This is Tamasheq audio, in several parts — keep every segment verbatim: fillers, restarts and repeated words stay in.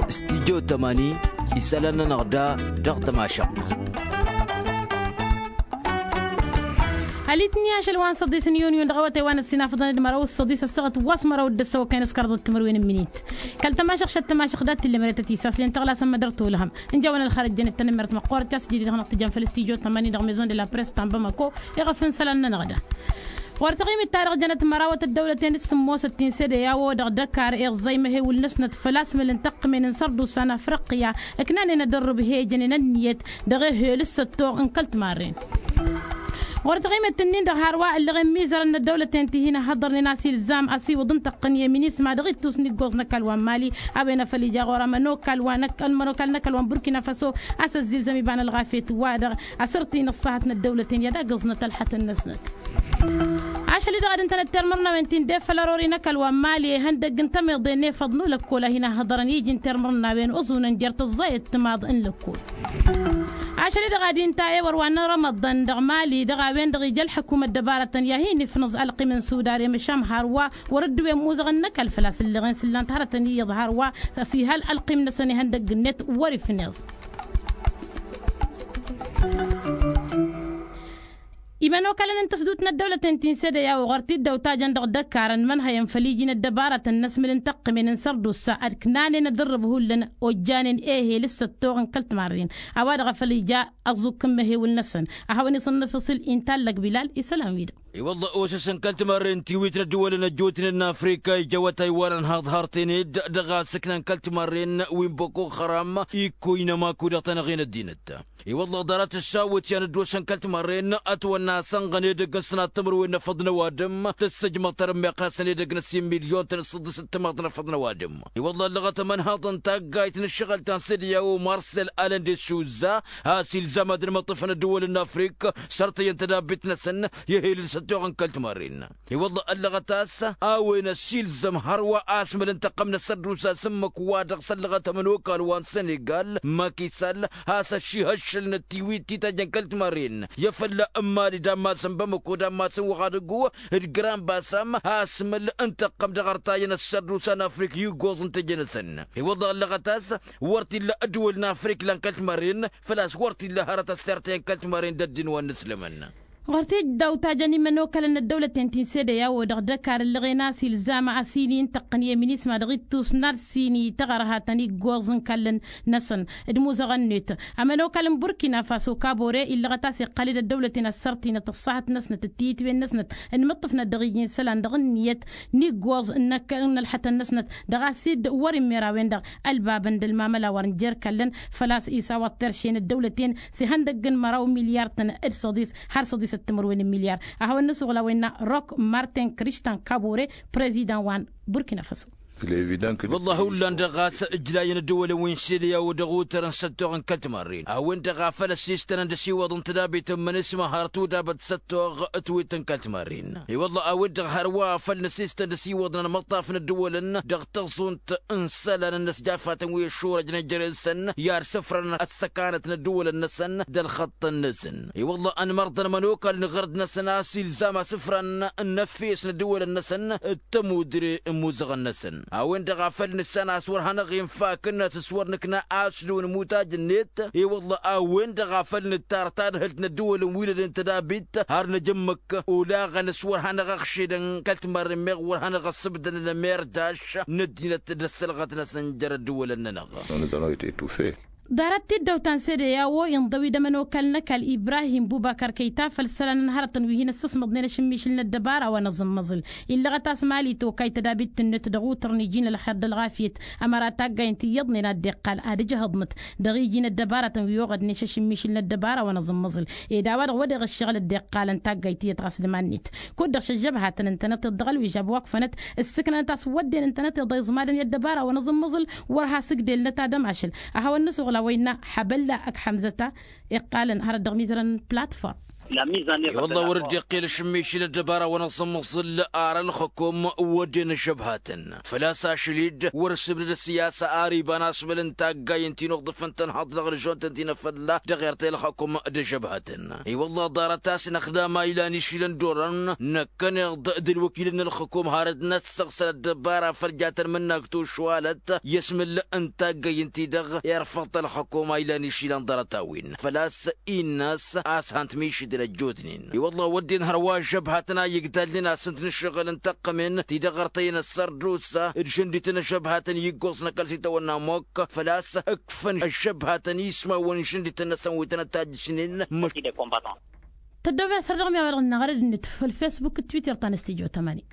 Studyo tămani isălan-nănăɣ da dăɣ-tămašăɣt. Alitni ašăl wa n-săḍis n-yuniyun dăɣ-awătay wa n-ăssinafăḍăn d-măraw s-săḍis ăssaɣăt wa s-măraw d-ăssăwăkay n-ăskărḍăt timǝrwen n-minit. Kăl-tămašăɣ šăt tămašăɣ dat-tillămăret ad-t-isaslen tăɣlasăn mădăr tolhăm. Ǝnjawăn ălxărăt jănăt-tăn ǝmmert măqqoorăt i-a-s jidid dăɣ-năɣ tǝjăn făll-studyo tămani dăɣ-maison de la press ta n-bamako. Iɣăf n-isălan-nănăɣ da. Ɣur-taɣimit-ta-dăɣ jănăt mărawăt ăddăwlăten d-sǝmmosăt ti n-sede i-a-wa dăɣ-dăkar iẓẓăy măhewǝl-năsnăt făll-asmǝl n-tăqqǝmen n-sărdusa n-afriqya. Ǝknanen ad-ărrǝb he-ijănen ănniyăt dăɣ-ehel s-săttoɣ n-kăl-timarren. Ɣur-taɣimăt-ǝnnin-dăɣ hărwa ǝllăɣen mizărăn n-ăddăwlăten ti hin-ăhhăḍărnen a-s ilzam ăsiwǝḍ n-tăqqǝn i-eminisma dăɣ-ittus n-iggoẓ n-ăkall wa n-mali. A-wen a făl ija ɣur-ămănokal wa n-ăkall n-mănokal n-ăkall wa n-burkina faso a-s ăzzilzăm iba n-ălɣafyăt-wa-dăɣ asăr-t-in ăṣṣahăt n-ăddăwlăten i-ad-agǝẓnăt ălxătăn-năsnăt. Ašăl-i-dăɣ ad-ǝntănăt termărnawen ti n-defăl ărori n-ăkall wa n-mali ihăndăgg n-tamăḍe n-efăḍ n-ulăkkol a hin-ăhhăḍărăn iji n-termărnawen oẓunăn jer-tăẓẓayăt timaḍ n-lăkkol. Ašăl-i-dăɣ ad-inta ewăr wa n-rămăḍăn dăɣ-mali dăɣ-a-wen-dăɣ ija ălḥăkum ăddăbarătăn i-ad-hin-if nǝẓ ălqim n-sudare măšan hărwa wăr-ăddǝwen muzăɣăn n-ăkall făl-a-s ǝlleɣen s-ǝllan-t hărătăn iyyăḍ hărwa. S-ihal ălqim-năsăn ihăndăgg-net wăr-ifneẓ. Imănokalăn n-tăsdut n-ăddăwlăten ti n-sede i-a-wa ɣur-t-dd-ăwtajăn dăɣ-dăkkarăn mănhăyăn făll-iji n-ăddăbarătăn n-asmǝl n-tăqqǝmen n-sărdusa ad-knanen ad-ărrǝb hullan ojjanen ehel s-săttoɣ n-kăl-timarren. A-wa-dăɣ a făl ija ăẓukk n-măhewǝl-năsăn a hawăn-iṣănnăf iṣǝl intallăg bilal isălan-wi-dăɣ. I-wălla osăsăn kăl-timarren tiwit n-ăddǝwălăn ăjjootnen n-afrika ija awătay wa n-ănhaḍ harăt-en-dd dăɣ-asǝknan kăl-timarren wi n-boko haram ikkoy n-ămaku dăɣ-tanăɣe n-ăddinăt. I-wălla ḍarăt ăssawăt i-ad-năddosăn kăl-timarren ătwănna a-s ănɣăn edăgg n-sănat timǝrwen n-efăḍ n-ăwadǝm tǝssǝjmăḍ tarǝmmeɣt-năsăn edăgg n-ăssiin milyon-tăn d-săḍisăt timaḍ n-efăḍ n-ăwadǝm. I-wălla ăllăɣăt ămănhaḍăn taggayt n-ǝššăɣǝl ta n-sede i-a-wa marsel alănde s-šuzza a-s ilzam ad-ănmăṭṭăfăn ăddăwălăn n-afrik sărtăyăn tădabit-năsăn i-ehel d-săttoɣ n-kăl-timarren. I-wălla ăllăɣăt a-s a-wen ăssiilzăm hărwa asmăl n-tăqqăm n-ăssărdusa s-ǝmmǝk wa dăɣ-s ăllăɣăt ămănokal wa n-sănegal makisal has-ăššihăššăl n-ătiwit titajăn kăl-timarren i-afălla n-mali d-ammas n-bamăko d-ammas n-wăɣadăggu d-grambasam asmăl n-tăqqăm dăɣ-artayăn ăssărdusa n-afrik i-iggoẓ n-tejănăsăn. I-wălla ăllăɣăt a-s wăr t-illa ăddăwăl n-afrik lan kăl-timarren făl-a-s wăr t-illa hărăt ăssirtăyăn kăl-timarren d-ăddin wa n-inǝslămăn. Ɣur-t-dd-awtajăn imănokalăn n-ăddăwlăten ti n-sede i-a-wa dăɣ-dăkar ǝllăɣen a-s ilzam a-s ini n-tăqqǝn i-eminisma dăɣ-ittus n-ad-sini tăɣărhatăn iggoẓ n-ikallăn-năsăn d-imuzăɣăn-net. Ămănokal n-burkina faso kabore illăɣăt a-s iqqal-dd ăddăwlăten ăssărtinăt ăṣṣahăt-năsnăt d-tiyǝtwen-năsnăt d-imǝṭṭǝfnăt dăɣ-iji n-isălan dăɣ-ǝnniyăt n-iggoẓ n-ălxătăn-năsnăt dăɣ-a-s dd-wăr immera-wen-dăɣ ălbabăn d-ălmamăla wăr n-jer-kallăn. Făl-a-s isawaḍ terše n-ăddăwlăten s-ihăndăgg n-măraw milyar-tăn d-săḍis har săḍisăt timǝrwen n-milyar. A hawăn-nǝsuɣǝl a-wen n-a rok martin krištan kabore prezidan wa n-burkina faso. Wăllah hullan-dăɣ ɣas ǝjlayăn ăddăwălăn wi n-sede i-a-wa dăɣ-otărăn s-ăttoɣ n-kăl-timarren a-wen-dăɣ a făl ăssistănăn d-asiwăḍ n-tădabit n-imănisma har tudabăt s-ăttoɣ ătwet n-kăl-timarren. I-wăllah a-wen-dăɣ hărwa a făl nǝsistăn d-asiwăḍ n-ănmăṭṭaf n-ăddăwălăn dăɣ-taẓunt n-isălan n-inăsjafatăn wi ăššurăjnen jere-săn i-ad-sǝfrăn ăssăkanăt n-ăddăwălăn-năsăn d-ălxăṭṭăn-năsăn. I-wăllah ănmărḍăn ămănokal n-iɣărd-năsăn a-s ilzam asǝfran n-efes n-ăddăwălăn-năsăn d-tămudre n-imuzăɣăn-năsăn a-wen-dăɣ a făl nǝssan a-s wăr hanăɣ-infak ǝnnas s-wăr nǝkna aslu n-imutaj-net. I-wăllah a-wen-dăɣ a făl nǝttar tadhǝlt n-ăddăwălăn wi lăden tădabit har năj ǝmmǝk olaɣăn s-wăr hanăɣ-ăɣšedăn kăl-timarren meɣ wăr hanăɣ-ăssǝbdănăn ămerdaš n-ăddinăt d-ăssălɣăt-năsăn jer-ăddăwălăn-nănăɣ. Ḍarăt-t-dd-ăwtan sede i-a-wa inḍăw-dd ămănokal n-ăkall ibrahim bubăkăr kăyta făll-isălan n-hărătăn wi hin-ăssăsmăḍnen ašǝmmišǝl n-ăddăbara wa n-aẓǝmmăẓǝl. Illăɣăt a-s mali tokay tădabit-net dăɣ-utărăn iji n-ălxer d-ălɣafyăt ămăra taggaynt iyyăḍnen ad-dd-iqqal ad-ǝjhăḍnăt dăɣ-iji n-ăddăbaratăn wi oɣădnen šašǝmmišǝl n-ăddăbara wa n-aẓǝmmăẓǝl. Ed a-wa-dăɣ wădeɣ ǝššăɣǝl dd-iqqalăn taggayt iyyăt ɣas d-iman-net kud-dăɣ šăžžăbhatăn ǝntănăteḍ dăɣ-ălwižab wa ǝkfănăt ǝssǝknănăt a-s wădden ǝntănăteḍ a iẓmadăn i-ăddăbara wa n-aẓǝmmăẓǝl. Wăr has-ǝgdelnăt ad-ămašăl a hawăn-nǝsuɣǝl a-wa innă ḥabălla ăkk ḥămzăt-a iqqalăn hărăt dăɣ-mizărăn platform. I-wălla wăr dd-iqqel ašǝmmišǝl ăddăbara wa n-aẓǝmmăẓǝl ar ălxǝkum wădden ăžžăbhatăn făl-a-s ašăl-dd wăr-ǝssǝbdăd ăssiyasa ar iba n-asbăl n-taggay n-ti n-uḍǝf n-tănhaḍt dăɣ-ălžont n-ti n-afălla dăɣ-ertăy ălxǝkum d-ăžžăbhatăn. I-wălla ḍarăt-as năxdam a ilan išilăn d-orăn năkkăneḍ d-ălwăkilăn n-ălxǝkum hărăt n-ad-săɣsăl ăddăbara făll-jatăn mǝnnakt ušwalăt i-asmǝl n-taggay n-ti-dăɣ irfăḍ-t ălxǝkum a ilan išilăn ḍarăt-a-wen făl-a-s innă-s a-s han t-mišǝdǝl ăjjootnen. I-wălla wădden hărwa ăžžăbhatăn a igdalnen a-s ǝnta n-ǝššăɣǝl n-tăqqămen ti-dăɣ ărtăyăn ăssărdusa d-žăndităn ăžžăbhatăn iggoẓ n-ăkall s-itawănna ămmok făl-a-s ǝkfăn ăžžăbhatăn ismawăn n-žăndităn-năsăn wi tăn-ătajjǝšnen. Măš tăddoobea săr dăɣ-mi a-wa dăɣ-năɣrăd-net făll-facebook d-twitter ta n-ăstijot ămani.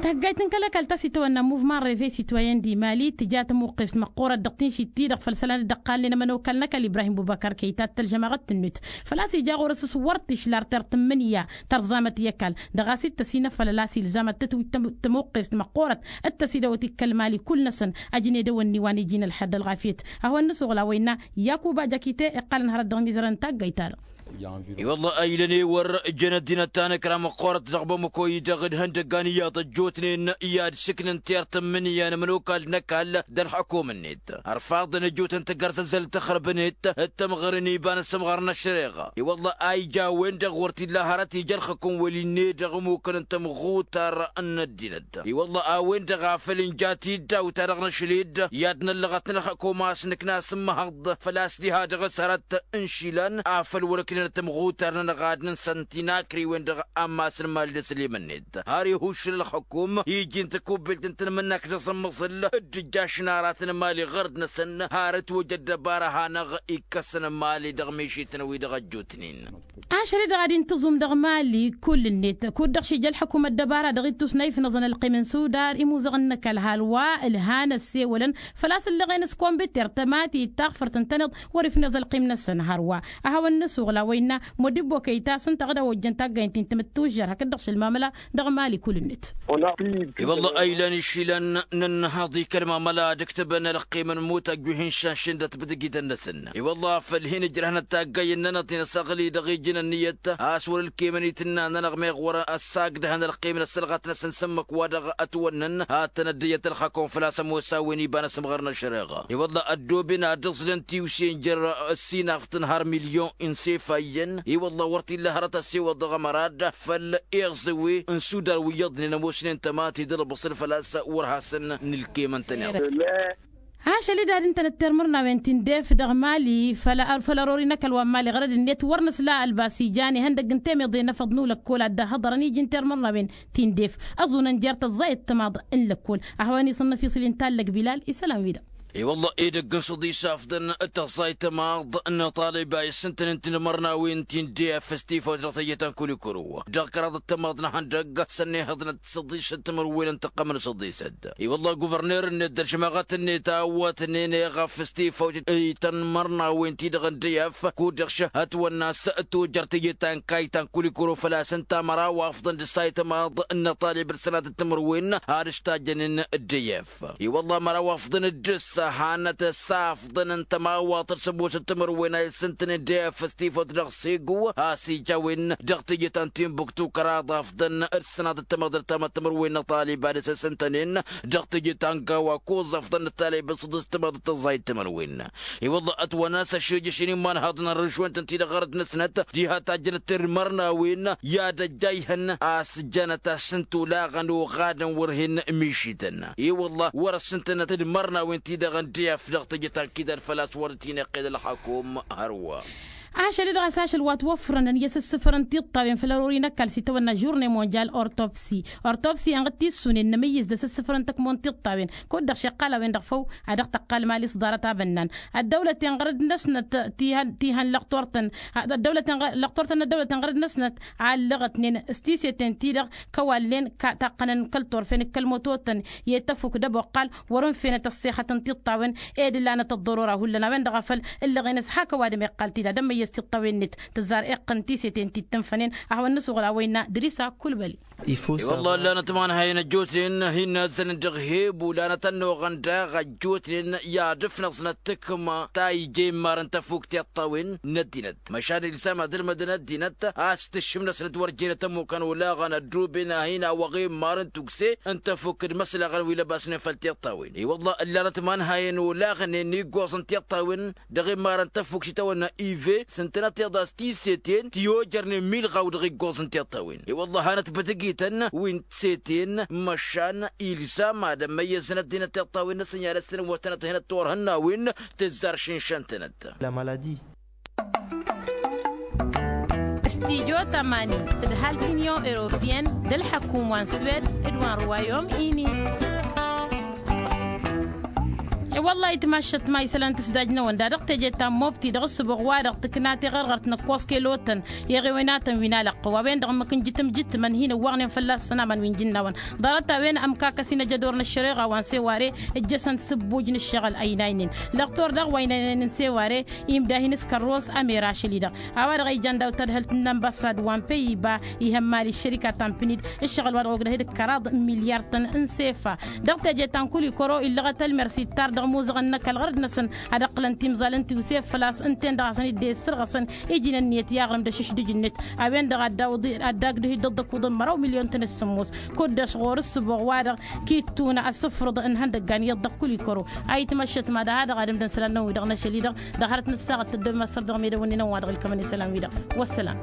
Taggayt n-kăl-ăkall ta s-itawănna muvman reve sitwayen d-imali tǝja tămuqqest măqqoorăt dăɣ-tinšit-ti-dăɣ făll-isălan dd-ăqqalnen ămănokal n-ăkall ibrahim bubăkar kăyy tattăl žămaɣăt-tǝnnut făl-a-s ija ɣur-s s-wăr t-išla ar tertǝmmǝnǝya tărẓamăt i-ăkall dăɣ-a-s dd-tăsinăfălăl a-s ilzam ad-tătwǝj tamăqqest măqqoorăt d-tăsidăwăt ikk ălmali kull-năsăn ăjned ăwănni wa n-iji n-ălxer d-ălɣafyăt. A hawăn-nǝsuɣǝl a-wa innă yakuba jakite iqqalăn hărăt dăɣ-imizărăn n-taggayt-ta-dăɣ. I-wălla a ilăn ewăr jănăt dinăt ta n-ǝkra măqqoorăt dăɣ-bamăko-i-dăɣ d-ihăndăggan iyyăḍ ăjjootnen i-ad-sǝknǝn tertǝmmǝnǝya n-ămănokal n-ăkall d-ălxăkum-net ărfaḍăn ăjjootnen tagărzăzzăl tăxrăbnet d-tămɣăr n-iba n-asǝmɣar n-ăššăreɣa. I-wălla a ija a-wen-dăɣ wăr t-illa hărăt ija ălxăkum wăl-inne dăɣ-imukăn n-tamɣutar n-ăddinăt. I-wălla a-wen-dăɣ a făl ǝnja tiddaw-ta-dăɣ n-ašăl-dd i-ad-năllăɣăt n-ălxăkum a-s nǝkna s-ǝmmăhăḍ făl-a-s diha dăɣ-s hărăt n-išilan afăl wăr-ǝknenăt tamɣutar n-ănɣadăn s-ăntinakriwen dăɣ-ammas n-imal d-ăslimăn-net har ihuššǝl ălxăkum iji n-tăkubbelt n-tanmǝnnak d-aẓǝmmăẓǝl d-ǝjjašăn aratăn mali ɣărd-năsăn har ǝtwăj ăddăbara a hanăɣ-ikkăsăn mali dăɣ-mišităn-wi-dăɣ ăjjootnen. Ašăl-i-dăɣ ad-intǝẓum dăɣ-mali kull-net kud-dăɣ šija ălxăkum ăddăbara dăɣ-ittus n-a ifnăẓăn ălqim n-sudar imuzăɣăn n-ăkall hal wa ǝlhan ăssewălăn făl-a-s ǝllăɣen s-kombitter tămati d-taɣfărt ǝntăneḍ wăr-ifnăẓ ălqim-năsăn hărwa. A hawăn-nǝsuɣǝl a-wa innă modibbo kăyy-ta s-ǝnta ad-ăwwăjjăn taggaynt-in tǝmǝttujjăr hakd-dăɣ šăl mamăla dăɣ-mali kull-net. I-wălla a ilan išilan n-ǝnnăhăḍ i-kăl-mamăla ad-ǝktǝbăn ălqim n-imutaj wi hin-šănšǝn d-atbǝdǝgidăn-năsăn. I-wălla făl hin-ǝjrăhnăt taggay ǝnnănăt i-năsăɣli dăɣ-iji n-ǝnniyăt a-s wăr-ǝlkemăn itǝnna-nănăɣ meɣ wăr-ăssagdăhăn ălqim n-ăssălɣat-năsăn s-ǝmmǝk wa dăɣ-ătwănnăn ad-tăn-ăddăyăt ălxăkom făl-a-s ămoos a-wen iba n-asǝmɣăr n-ăššăreɣa. I-wălla ăddooben ad-ǝẓlăn tiwse n-jer-ăssinafṭ n-har milyon n-sefa iyyăn. I-wălla wăr t-illa hărăt ăssewăḍ dăɣ-ămărad făll-iẓǝwe n-sudar wi iyyăḍnen ămoosnen tămati d-ălbăṣǝl făl-a-s wăr hasăn-nǝlkemăn-tăn iḍ. Ašăl-i-dăɣ ad-ǝntănăt termărnawen ti n-def dăɣ-mali făll-ărori n-ăkall wa n-mali ɣărăd-net wăr nǝsla ălbas ijan ihăndăgg n-temeḍe n-efăḍ n-ulăkkol ad-dd-ăhhăḍărăn iji n-termărnawen ti n-def ăẓunăn jer-tăẓẓayăt timaḍ n-lăkkol. Ăhwăn isǝnnăf isǝl inta n-lăkbilal isălan-wi-dăɣ. I-wălla edăgg n-săḍis afḍăn d-tăẓẓayt timaḍ n-iṭaliba i-sǝntăn n-tinmărnawen ti n-def s-tifawt dăɣ-tejăt ta n-kulikuru dăɣ-kăraḍăt timaḍ n-ihăndăgg sănnihăḍnăt săḍisăt timǝrwen n-tăqqăm n-săḍisăt. I-wălla guvărner-net d-ălžămaɣăt-net a ăwwătnen eɣăf s-tifawt i-tanmărnawen-ti-dăɣ n-def kud-dăɣ šăhătwănna s-tujăr tejăt ta n-kayy ta n-kulikuru făl-a-s ǝnta măraw afḍăn d-ǝssayt timaḍ n-iṭalib d-sănatăt timǝrwen ad-ǝštajjănen d-def. I-wălla măraw afḍăn d-ǝssa hanăt s-afḍăn n-tămawaḍt d-sămoosăt timǝrwen a isǝntăn d-def s-tifawt dăɣ-segu a-s ija a-wen dăɣ-tejăt ta n-tinbuktu kăraḍ afḍăn d-sănatăt timăḍrăt ta ma timǝrwen n-iṭalib ad-s-ǝsǝntănen dăɣ-tejăt ta n-gawa koẓ afḍăn d-talib d-săḍis timaḍ d-tăẓẓayt timǝrwen. I-wălla ătwănna s-ăššejăšen imanhaḍăn n-rǝžwăn-tăn-ti-dăɣ ɣărăd-năsnăt diha tajjănăt d-imărnawen i-ad-ăjjayhăn a-s jănăt-asǝnt olaɣăn oɣadăn wăr hin-mišităn. I-wălla wăr-ăssǝntănăt d-imărnawen-ti-dăɣ n-def dăɣ-tejăt ta n-kidal făl-a-s wăr dd-hin-iqqed ălxakum hărwa. Ašăl-i-dăɣ a-s ašăl wa t-wăffărăn i-asǝssǝfărăn tiṭṭawen făll-ărori n-ăkall s-itawănna žurne monjal ortopsi. Ortopsi-en ɣǝd tissunen n-amǝyyǝz d-asǝssǝfărăn tăkmon tiṭṭawen kud-dăɣ šeqqal a-wen-dăɣ făw a dăɣ-tăqqal mali s-ḍarăt abănnan. Ăddăwlăten ɣărăd-năsnăt ti hăn ti hăn lăxtor-tăn ăddăwlăten ɣărăd-năsnăt allăɣătnen s-tiseten-ti-dăɣ kăwalnen taqqănăn kăl-turfen d-kăl-mototăn i-tăfuk d-ăboqqal wăr-ǝnfenăt ăṣṣexăt n-tiṭṭawen ed ǝllanăt ăḍḍărora hullan a-wen-dăɣ a făl ǝllăɣen s-hak ăwadǝm iqqal tila d-ămmăyyăt. tiṭṭawen-net tǝzzar iqqăn tiseten ti t-tǝnfănen. A hawăn-nǝsuɣǝl a-wa innă dăr-isa kulbăli. I-wălla ǝllanăt imanhayen ăjjootnen hin-nazzălăn dăɣ-hebu lanăt ănnuɣăn daɣ ăjjootnen i-ad-ǝfnăẓnăt tǝkma ta ija immar n-tafukt tiṭṭawen n-ăddinăt. Măšan ilsam ad-ǝlmădăn ăddinăt a-s tǝššǝmnăsnăt wăr jenăt ămmukăn olaɣăn ădduben a hin-awăɣ immar n-tukse n-tafukt d-imăslaɣăn wi lăbasnen făll-tiṭṭawen. I-wălla ǝllanăt imanhayen olaɣnen iggoẓ n-tiṭṭawen dăɣ-immar n-tafukt itawănna ive s-ǝntănăt iḍas tiseten ti ojărnen milɣaw dăɣ-iggoẓ n-tiṭṭawen. I-wălla hanăt bătăgităn wi n-tiseten măšan ilsam ad-ămmăyyăzăn ăddinăt tiṭṭawen n-asǝnyal s-tăn-wătănăt hin-ăttwărhǝnna wi n-tǝzzar šǝnšăn-tănăt. Stijo tămani d-halk inyon europyen d-ălḥăkum wa n-swed d-wa n-ruwayom ini. I-wălla-hi tmašăt ma isălan tǝsdaj-năwăn da dăɣ-teje ta n-mobti dăɣ-ǝssǝboɣ wa-dăɣ tǝkna tiɣărɣărt n-ăkkoẓ kelotăn i-eɣewenatăn wi n-alăqqăw a-wen-dăɣ ǝmmǝk n-jitǝm jitǝmăn hin-ǝwwăɣnen fălla-s sănamăn wi n-jǝnnawăn. Ḍarăt-a-wen ămkakăs-in ăjădor n-ăššăreɣa wa n-seware ǝjjăsăn sǝbbuj n-ǝššăɣǝl ăynaynen. Lăqtor daɣ wa ăynaynen n-seware imda hin-s kărros ămer ašăl-i-dăɣ. A-wa-dăɣ a ijan daw-tadhǝlt n-anbasad wa n-peyiba ihămmal i-ăššărika ta n-pǝnid ǝššăɣǝl wa dăɣ-ogdăh d-kăraḍ n-milyar-tăn n-sefa. Dăɣ-teje ta n-kulikoro illăɣăt ălmersi tar dăɣ-imuzăɣăn n-ăkall ɣărăd-năsăn ad-ǝqqǝlăn timẓal n-tiwse făl-a-s ǝnta-en-dăɣ hasăn-dd-e ǝssărɣăsăn iji n-ǝnniyăt i-aɣrǝm d-ašǝšdǝj-net. A-wen-dăɣ ad-dagdǝh-dd ăḍḍăkuḍăn măraw milyon-tăn d-sǝmmos. Kud-dăɣ ɣur-ǝssǝboɣ-wa-dăɣ kittuna asǝfrǝḍ n-ihăndăggan iyyăḍ dăɣ-kulikoro. A itmăššăt mad-aha-dăɣ ad-ǝmdăn isălan-năwăn-wi-dăɣ n-ašăl-i-dăɣ dăɣ-hărăt n-ăssaɣăt tăddoy măssăr dăɣ-medăwăn-wi n-ănwa dăɣ-ǝlkămăn isălan-wi-dăɣ. Wăssalam.